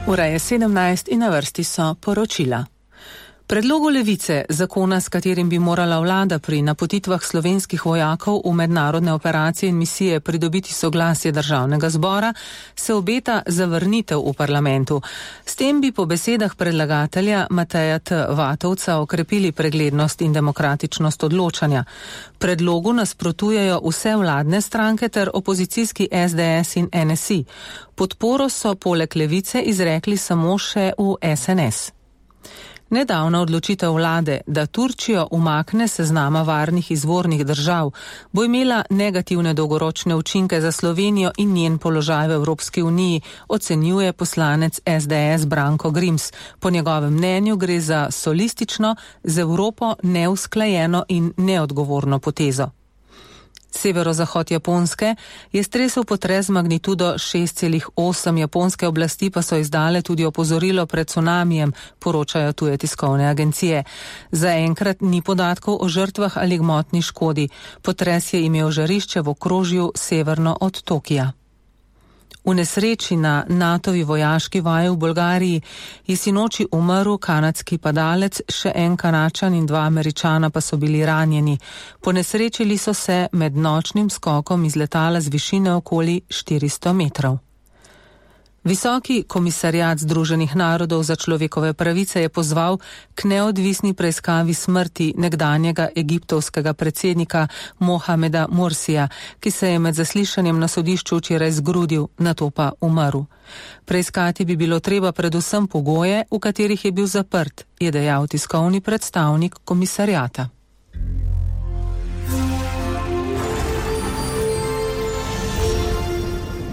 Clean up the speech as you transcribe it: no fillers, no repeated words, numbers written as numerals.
Ura je 17 in na vrsti so poročila. Predlogu Levice, zakona, s katerim bi morala vlada pri napotitvah slovenskih vojakov v mednarodne operacije in misije pridobiti soglasje državnega zbora, se obeta zavrnitev v parlamentu. S tem bi po besedah predlagatelja Mateja T. Vatovca okrepili preglednost in demokratičnost odločanja. Predlogu nasprotujejo vse vladne stranke ter opozicijski SDS in NSI. Podporo so poleg Levice izrekli samo še v SNS. Nedavna odločitev vlade, da Turčijo umakne seznama varnih izvornih držav, bo imela negativne dolgoročne učinke za Slovenijo in njen položaj v Evropski uniji, ocenjuje poslanec SDS Branko Grims. Po njegovem mnenju gre za solistično, z Evropo neusklajeno in neodgovorno potezo. Severozahod Japonske je stresel potres z magnitudo 6,8. Japonske oblasti pa so izdale tudi opozorilo pred cunamijem, poročajo tuje tiskovne agencije. Zaenkrat ni podatkov o žrtvah ali gmotni škodi. Potres je imel žarišče v okrožju severno od Tokija. V nesreči na NATO-vi vojaški vaji v Bolgariji je sinoči umrl kanadski padalec, še en Kanačan in 2 Američana pa so bili ranjeni. Ponesrečili so se med nočnim skokom iz letala z višine okoli 400 metrov. Visoki komisariat Združenih narodov za človekove pravice je pozval k neodvisni preiskavi smrti nekdanjega egiptovskega predsednika Mohameda Morsija, ki se je med zaslišanjem na sodišču včeraj zgrudil, nato pa umrl. Preiskati bi bilo treba predvsem pogoje, v katerih je bil zaprt, je dejal tiskovni predstavnik komisariata.